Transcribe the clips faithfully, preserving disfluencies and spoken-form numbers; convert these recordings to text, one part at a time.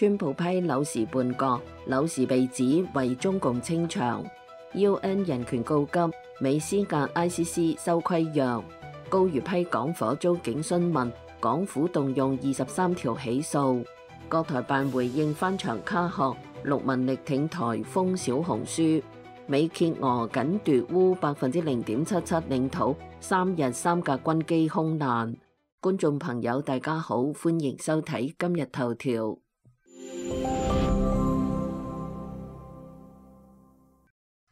川普批柳時叛國，柳時被指為中共清場。U N 人權告急，美施壓 I C C 修規約。高瑜批港火遭警詢問，港府動用二十三條起訴。國台辦回應翻牆卡殼，陸文力挺台封小紅書。美揭俄僅奪烏百分之零點七七領土，三日三架軍機空難。觀眾朋友大家好，歡迎收睇今日頭條。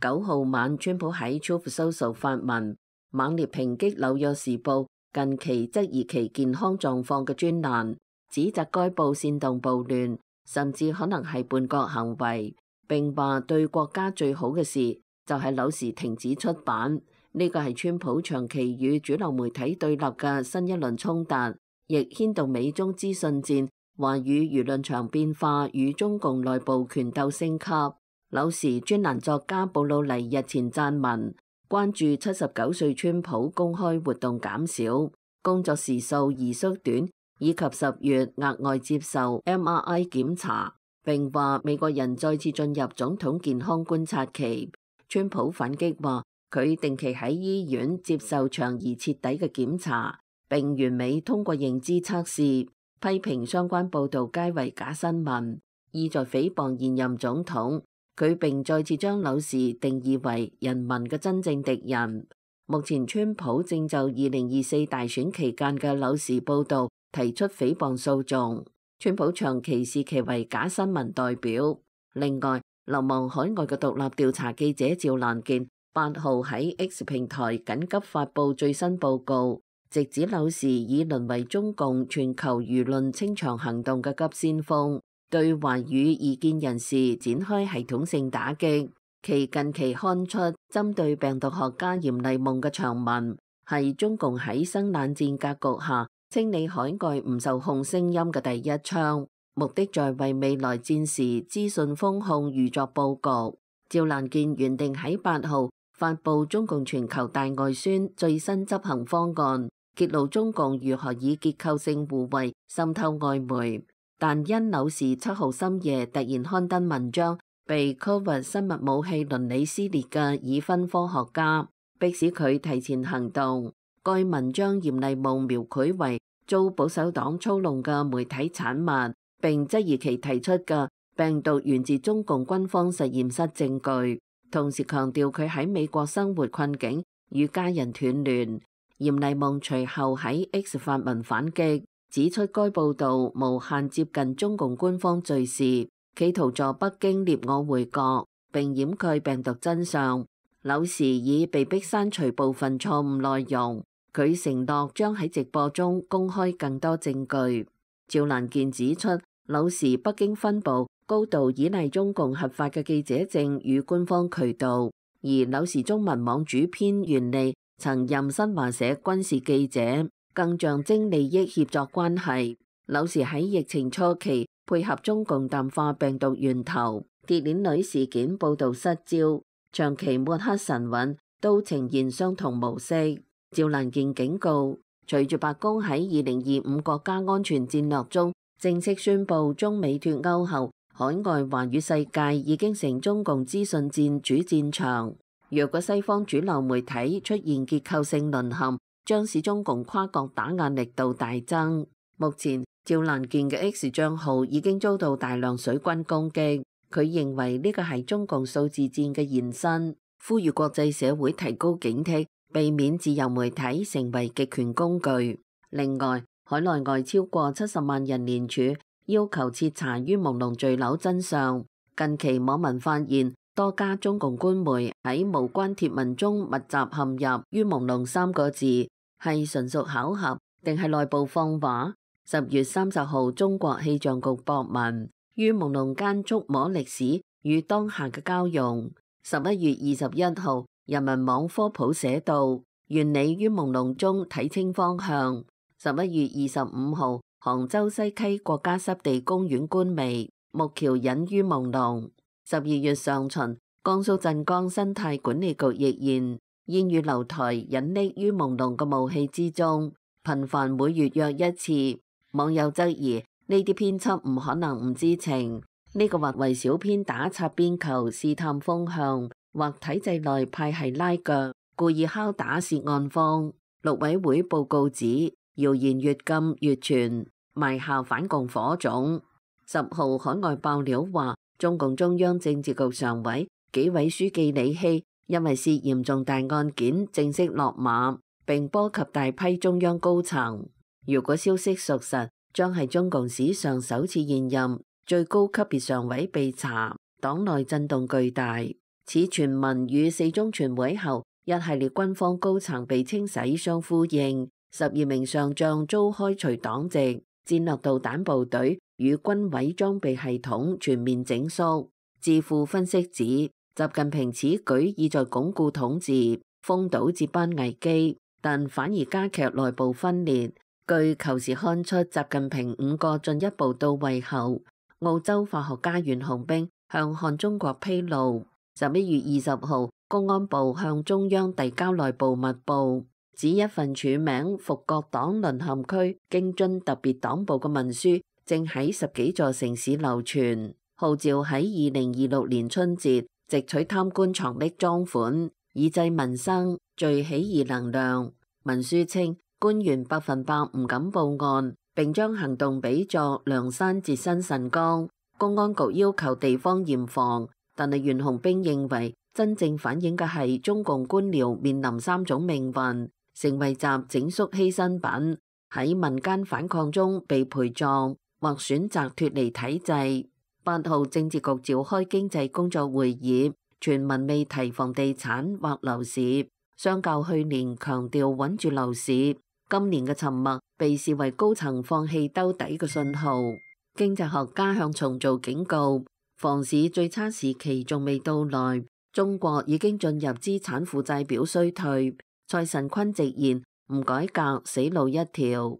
九號晚，川普喺 Truth Social 發文，猛烈抨擊《紐約時報》近期質疑其健康狀況嘅專欄，指責該報煽動暴亂，甚至可能係叛國行為。並話對國家最好嘅事就係柳時停止出版。呢個係川普長期與主流媒體對立嘅新一輪衝突，亦牽動美中資訊戰、華語輿論場變化與中共內部權鬥升級。柳時專欄作家布魯尼日前撰文，關注七十九歲川普公開活動減少、工作時數而縮短，以及十月額外接受 M R I 檢查，並話美國人再次進入總統健康觀察期。川普反擊話，佢定期喺醫院接受長而徹底嘅檢查，並完美通過認知測試，批評相關報導皆為假新聞，意在誹謗現任總統。佢並再次將柳時定義為人民嘅真正敵人。目前川普正就二零二四大選期間嘅柳時報導提出誹謗訴訟。川普長期視其為假新聞代表。另外，流亡海外嘅獨立調查記者趙蘭健八號喺 X 平台緊急發布最新報告，直指柳時已淪為中共全球輿論清場行動嘅急先鋒，對華語異見人士展開系統性打擊。其近期刊出針對病毒學家嚴厲夢嘅長文，係中共喺新冷戰格局下清理海外唔受控聲音嘅第一槍，目的在為未來戰時資訊封控預作佈局。趙蘭健原定喺八號發布中共全球大外宣最新執行方案，揭露中共如何以結構性互惠滲透外媒。但因柳時七號深夜突然刊登文章，被 Covid 生物武器倫理撕裂嘅已婚科學家，迫使佢提前行動。該文章嚴厲夢描繪為遭保守黨操弄嘅媒體產物，並質疑其提出嘅病毒源自中共軍方實驗室證據，同時強調佢喺美國生活困境與家人斷聯。嚴厲夢隨後喺 X 發文反擊，指出該報導無限接近中共官方敘事，企圖助北京捏我回國並掩蓋病毒真相。柳時已被迫刪除部分錯誤內容，佢承諾將喺直播中公開更多證據。趙蘭健指出，柳時北京分部高度依賴中共核發嘅記者證與官方渠道，而柳時中文網主編袁利曾任新華社軍事記者，更象徵利益協作關係。柳時喺疫情初期配合中共淡化病毒源頭，鐵鏈女事件報導失焦，長期抹黑神韻都呈現相同模式。趙蘭健警告，隨住白宮喺二零二五國家安全戰略中正式宣布中美脫歐後，海外華語世界已經成中共資訊戰主戰場。若果西方主流媒體出現結構性淪陷，將使中共跨國打壓力度大增。目前趙蘭健嘅 X 賬號已經遭到大量水軍攻擊，佢認為呢個係中共數字戰嘅延伸，呼籲國際社會提高警惕，避免自由媒體成為極權工具。另外，海內外超過七十萬人聯署要求徹查于朦朧墜樓真相。近期網民發現多家中共官媒喺無關貼文中密集陷入于朦朧三個字，係純屬巧合定係內部放話？十月三十號，中國氣象局博文，于朦朧間觸摸歷史與當下嘅交融。十一月二十一號，人民網科普寫道，原理于朦朧中睇清方向。十一月二十五號，杭州西溪國家濕地公園官微，木橋隱于朦朧。十二月上旬，江蘇鎮江生態管理局亦現煙雨樓台隱匿于朦朧嘅霧氣之中，頻繁每月約一次。網友質疑呢啲編輯唔可能唔知情。呢個或為小編打擦邊球、試探風向，或體制內派系拉腳，故意敲打涉案方。陸委會報告指，謠言越禁越傳，埋下反共火種。十號海外爆料話，中共中央政治局常委、紀委書記李希因為涉嫌重大案件正式落馬，並波及大批中央高層。如果消息屬實，將係中共史上首次現任最高級別常委被查，黨內震動巨大。此傳聞與四中全會後一系列軍方高層被清洗相呼應，十二名上將遭開除黨籍，戰略導彈部隊與軍委裝備系統全面整肅。智庫分析指，習近平此舉意在鞏固統治，封堵接班危機，但反而加劇內部分裂。據求是看出習近平五個進一步到位後，澳洲化學家袁紅冰向看中國披露，十一月二十號，公安部向中央遞交內部密報，指一份署名「復國黨淪陷區京津特別黨部」嘅文書正喺十幾座城市流傳，號召喺二零二六年春節直取貪官藏匿贓款，以濟民生，聚起義能量。文書稱，官員百分百唔敢報案，並將行動比作梁山截新辰綱。公安局要求地方嚴防，但係袁紅冰認為真正反映嘅係中共官僚面臨三種命運，成為習整肅犧牲品，喺民間反抗中被陪葬，或選擇脫離體制。八號政治局召開經濟工作會議，全文未提房地產或樓市，相較去年強調穩住樓市。今年嘅沉默被視為高層放棄兜底嘅信號。經濟學家向重造警告，房市最差時期仲未到來，中國已經進入資產負債表衰退。蔡神坤直言，唔改革死路一條。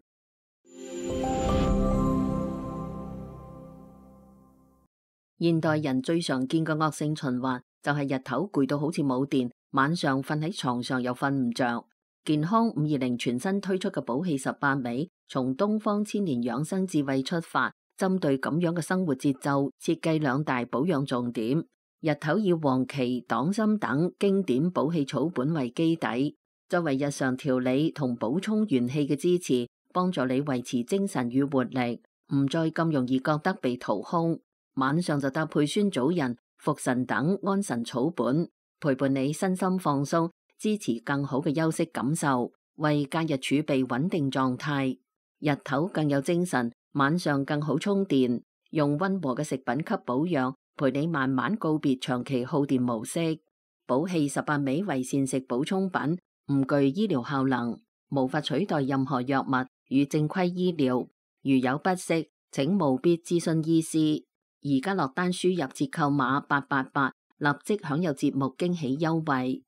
現代人最常見嘅惡性循環就係日頭攰到好似冇電，晚上瞓喺床上又瞓唔着。健康五二零全新推出嘅補氣十八味，從東方千年養生智慧出發，針對咁樣嘅生活節奏，設計兩大保養重點。日頭以黃芪、黨參等經典補氣草本為基底，作為日常調理同補充元氣嘅支持，幫助你維持精神與活力，唔再咁容易覺得被掏空。晚上就搭配酸棗仁、茯神等安神草本，陪伴你身心放鬆，支持更好嘅休息感受，為假日儲備穩定狀態。日頭更有精神，晚上更好充電。用溫和嘅食品給保養，陪你慢慢告別長期耗電模式。補氣十八味為膳食補充品，唔具醫療效能，無法取代任何藥物與正規醫療。如有不適，請務必諮詢醫師。而家落單輸入折扣碼八八八，立即享有節目驚喜優惠。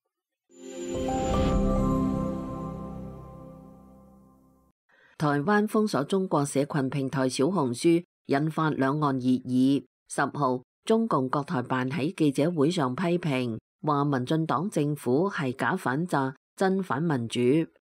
台灣封鎖中國社群平台小紅書，引發兩岸熱議。十號，中共國台辦喺記者會上批評，話民進黨政府係假反詐、真反民主，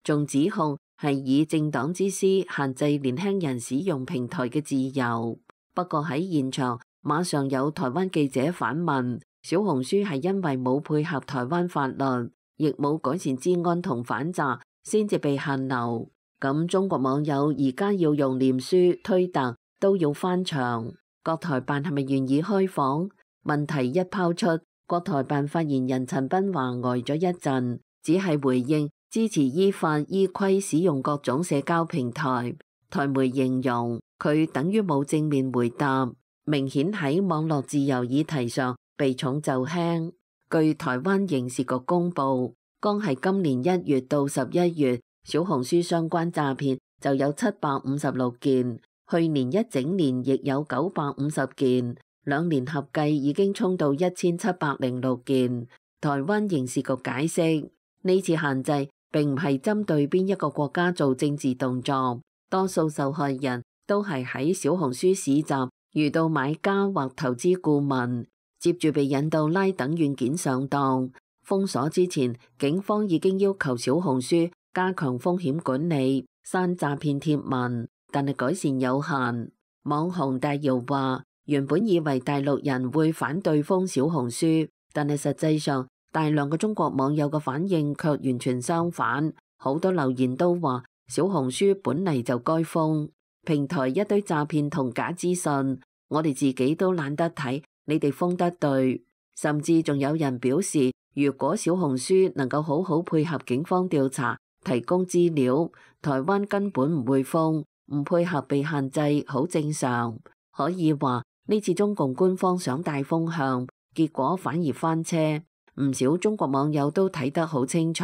仲指控係以政黨之私限制年輕人使用平台嘅自由。不過喺現場，馬上有台灣記者反問，小紅書係因為冇配合台灣法律，亦冇改善治安同反詐，先至被限流。咁中國網友而家要用臉書、推特都要翻牆，國台辦係咪願意開放？問題一拋出，國台辦發言人陳斌華呆咗一陣，只係回應支持依法依規使用各種社交平台。台媒形容佢等於冇正面回答，明顯喺網絡自由議題上避重就輕。據台灣刑事局公布，剛係今年一月到十一月，小紅書相關詐騙就有七百五十六件，去年一整年亦有九百五十件，兩年合計已經衝到一千七百零六件。台灣刑事局解釋，呢次限制並唔係針對邊一個國家做政治動作。多數受害人都係喺小紅書市集遇到買家或投資顧問，接住被引到拉等軟件上當。封鎖之前，警方已經要求小紅書加強風險管理，刪詐騙貼文，但係改善有限。網紅大姚話：原本以為大陸人會反對封小紅書，但係實際上大量嘅中國網友嘅反應卻完全相反。好多留言都話小紅書本嚟就該封，平台一堆詐騙同假資訊，我哋自己都懶得睇，你哋封得對。甚至仲有人表示，如果小紅書能夠好好配合警方調查，提供資料，台灣根本唔會封。唔配合被限制，好正常。可以話呢次中共官方想帶風向，結果反而翻車。唔少中國網友都睇得好清楚，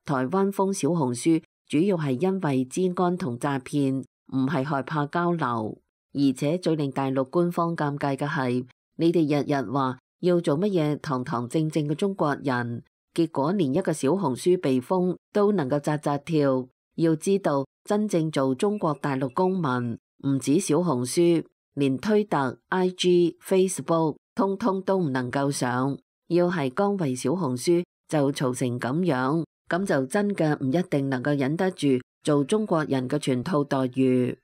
台灣封小紅書主要係因為資安同詐騙，唔係害怕交流。而且最令大陸官方尷尬嘅係，你哋日日話要做乜嘢堂堂正正嘅中國人，結果連一個小紅書被封都能夠扎扎跳。要知道，真正做中國大陸公民，唔止小紅書，連推特、I G、Facebook 通通都唔能夠上。要係剛為小紅書就嘈成咁樣，咁就真嘅唔一定能夠忍得住做中國人嘅全套待遇。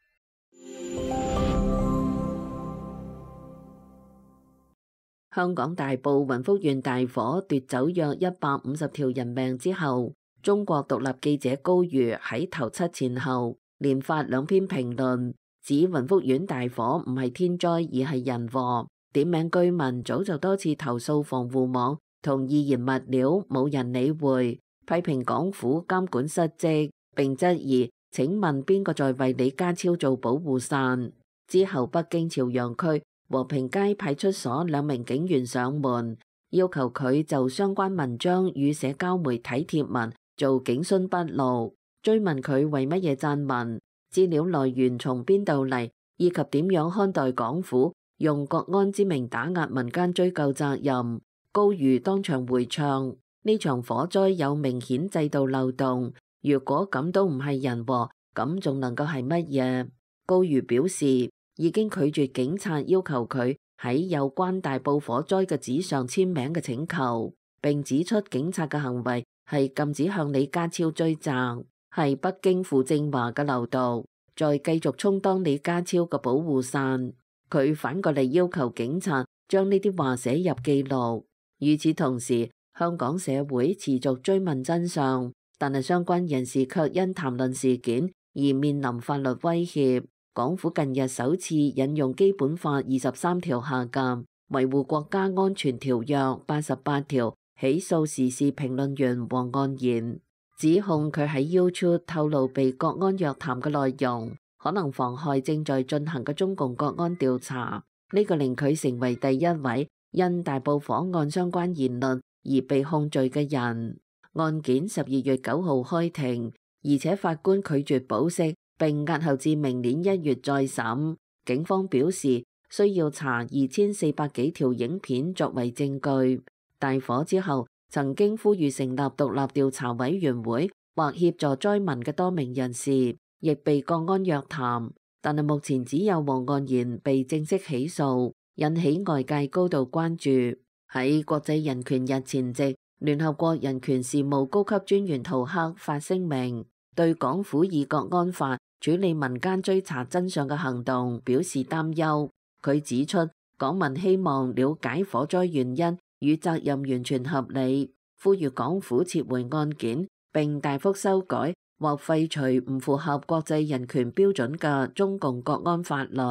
香港大埔雲福縣大火奪走約一百五十條人命之後，中國獨立記者高瑜喺頭七前後連發兩篇評論，指雲福縣大火唔係天災而係人禍，點名居民早就多次投訴防護網同易燃物料冇人理會，批評港府監管失職，並質疑請問邊個在為李家超做保護傘？之後北京朝陽區和平街派出所兩名警員上門，要求佢就相關文章與社交媒體貼文做警訊筆錄，追問佢為乜嘢撰文，資料來源從邊度嚟，以及點樣看待港府用國安之名打壓民間追究責任。高瑜當場回唱：呢場火災有明顯制度漏洞，如果咁都唔係人禍，咁仲能夠係乜嘢？高瑜表示已經拒絕警察要求佢喺有關大埔火災嘅紙上簽名嘅請求，並指出警察嘅行為係禁止向李家超追責，係北京傅政華嘅流毒，再繼續充當李家超嘅保護傘。佢反過嚟要求警察將呢啲話寫入記錄。與此同時，香港社會持續追問真相，但係相關人士卻因談論事件而面臨法律威脅。港府近日首次引用基本法二十三條下嘅維護國家安全條約八十八條起訴時事評論員黃岸然，指控佢喺 YouTube 透露被國安約談嘅內容，可能妨害正在進行嘅中共國安調查。呢個令佢成為第一位因大埔火案相關言論而被控罪嘅人。案件十二月九號開庭，而且法官拒絕保釋，並押後至明年一月再審。警方表示需要查二千四百幾條影片作為證據。大火之後，曾經呼籲成立獨立調查委員會或協助災民嘅多名人士，亦被國安約談，但係目前只有黃岸然被正式起訴，引起外界高度關注。喺國際人權日前夕，聯合國人權事務高級專員圖克發聲明，對港府以國安法處理民間追查真相嘅行動表示擔憂。佢指出，港民希望了解火災原因與責任完全合理，呼籲港府撤回案件，並大幅修改或廢除唔符合國際人權標準嘅中共國安法律。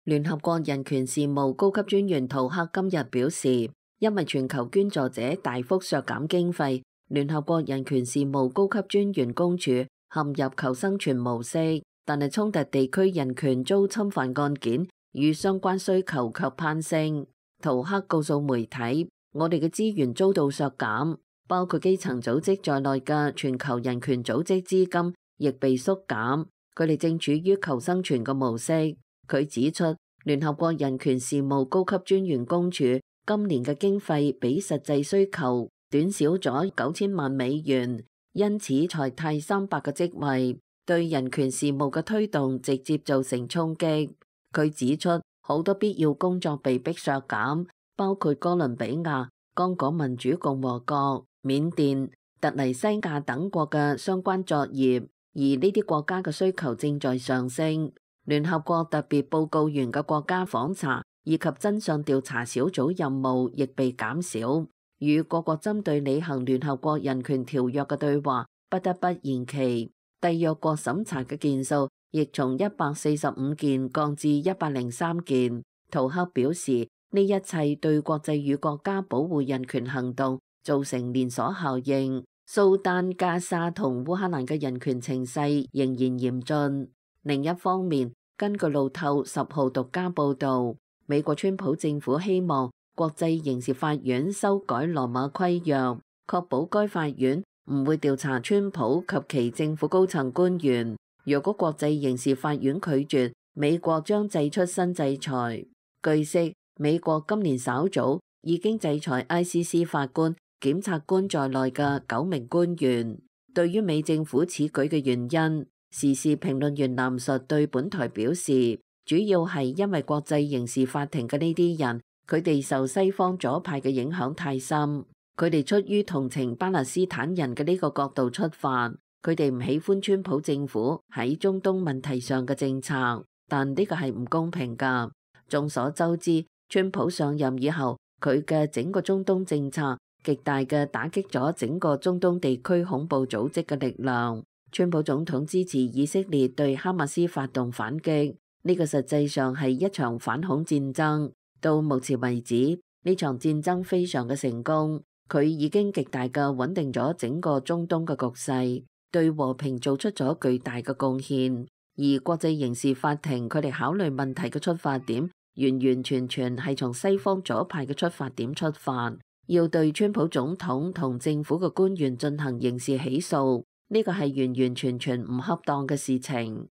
聯合國人權事務高級專員圖克今日表示，因為全球捐助者大幅削減經費，聯合國人權事務高級專員公署陷入求生存模式，但係衝突地區人權遭侵犯案件與相關需求卻攀升。圖克告訴媒體，我哋嘅資源遭到削減，包括基層組織在內嘅全球人權組織資金亦被縮減，佢哋正處於求生存嘅模式。佢指出，聯合國人權事務高級專員公署今年嘅經費比實際需求短少咗九千萬美元，因此裁汰三百個職位，對人權事務嘅推動直接造成衝擊。佢指出，好多必要工作被迫削減，包括哥倫比亞、剛果民主共和國、緬甸、突尼西亞等國嘅相關作業。而呢啲國家嘅需求正在上升。聯合國特別報告員嘅國家訪查以及真相調查小組任務亦被減少，與各國針對履行聯合國人權條約嘅對話不得不延期。締約國審查嘅件數亦從一百四十五件降至一百零三件。圖克表示，呢一切對國際與國家保護人權行動造成連鎖效應。蘇丹、加沙同烏克蘭嘅人權情勢仍然嚴峻。另一方面，根據路透十號獨家報導，美國川普政府希望國際刑事法院修改羅馬規約，確保該法院唔會調查川普及其政府高層官員。若果國際刑事法院拒絕，美國將祭出新制裁。據悉，美國今年稍早已經制裁 I C C 法官、檢察官在內嘅九名官員。對於美政府此舉嘅原因，時事評論員藍述對本台表示，主要係因為國際刑事法庭嘅呢啲人，佢哋受西方左派嘅影響太深，佢哋出於同情巴勒斯坦人嘅呢個角度出發，佢哋唔喜歡川普政府喺中東問題上嘅政策，但呢個係唔公平㗎。眾所周知，川普上任以後，佢嘅整個中東政策極大嘅打擊咗整個中東地區恐怖組織嘅力量。川普總統支持以色列對哈馬斯發動反擊，呢個實際上係一場反恐戰爭。到目前為止，呢場戰爭非常嘅成功，佢已經極大嘅穩定咗整個中東嘅局勢，對和平做出咗巨大嘅貢獻。而國際刑事法庭佢哋考慮問題嘅出發點，完完全全係從西方左派嘅出發點出發，要對川普總統同政府嘅官員進行刑事起訴。呢個係完完全全唔恰當嘅事情。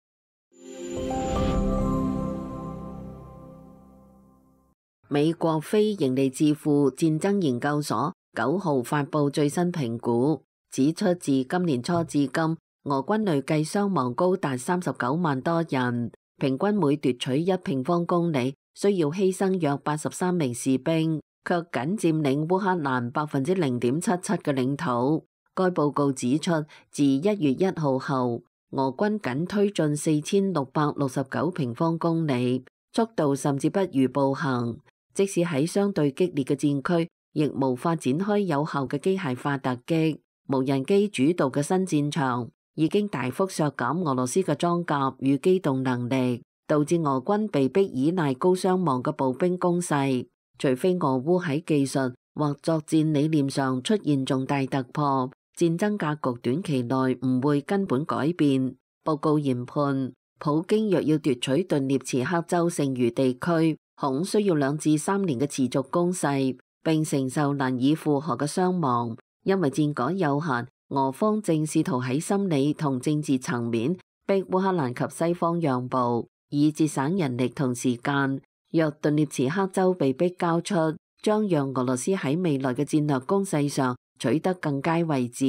美國非營利智庫戰爭研究所九號發布最新評估，指出自今年初至今，俄軍累計傷亡高達三十九萬多人，平均每奪取一平方公里需要犧牲約八十三名士兵，卻僅佔領烏克蘭百分之零點七七嘅領土。該報告指出，自一月一號後，俄軍僅推進四千六百六十九平方公里，速度甚至不如步行。即使喺相對激烈嘅戰區，亦無法展開有效嘅機械化突擊。無人機主導嘅新戰場已經大幅削減俄羅斯嘅裝甲與機動能力，導致俄軍被迫依賴高傷亡嘅步兵攻勢。除非俄烏喺技術或作戰理念上出現重大突破，戰爭格局短期內唔會根本改變。報告研判，普京若要奪取頓涅茨克州剩餘地區，恐需要兩至三年嘅持續攻勢，並承受難以負荷嘅傷亡。因為戰果有限，俄方正試圖喺心理同政治層面逼烏克蘭及西方讓步，以節省人力同時間。若頓涅茨克州被逼交出，將讓俄羅斯喺未來嘅戰略攻勢上取得更佳位置。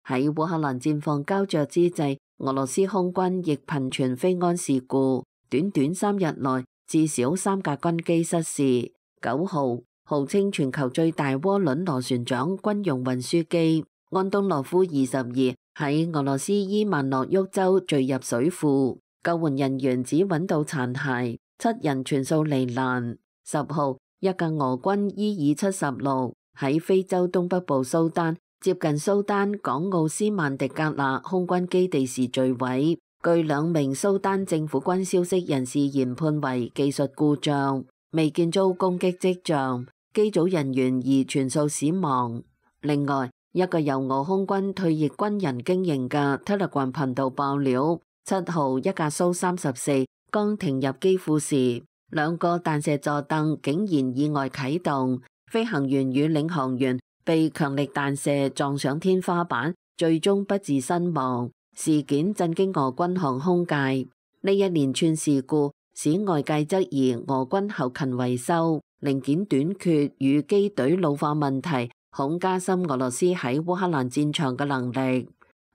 喺烏克蘭戰況膠着之際，俄羅斯空軍亦頻傳飛安事故，短短三日內至少三架軍機失事。九號，號稱全球最大渦輪螺旋槳軍用運輸機安東諾夫二十二喺俄羅斯伊萬諾沃州墜入水庫，救援人員只揾到殘骸，七人全數罹難。十號，一架俄軍伊爾七十六喺非洲東北部蘇丹接近蘇丹港奧斯曼迪格納空軍基地時墜毀，據兩名蘇丹政府軍消息人士研判為技術故障，未見遭攻擊跡象，機組人員而全數死亡。另外，一個由俄空軍退役軍人經營嘅 Telegram 頻道爆料，七號一架蘇三十四剛停入機庫時，兩個彈射座凳竟然意外啟動，飛行員與領航員被強力彈射撞上天花板，最終不治身亡。事件震驚俄軍航空界。呢一連串事故使外界質疑俄軍後勤維修、零件短缺與機隊老化問題，恐加深俄羅斯喺烏克蘭戰場嘅能力。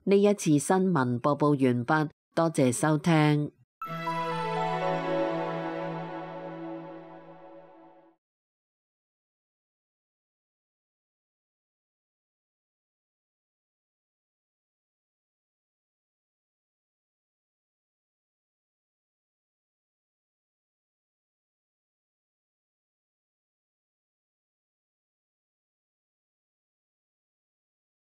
呢一次新聞播報完畢，多謝收聽。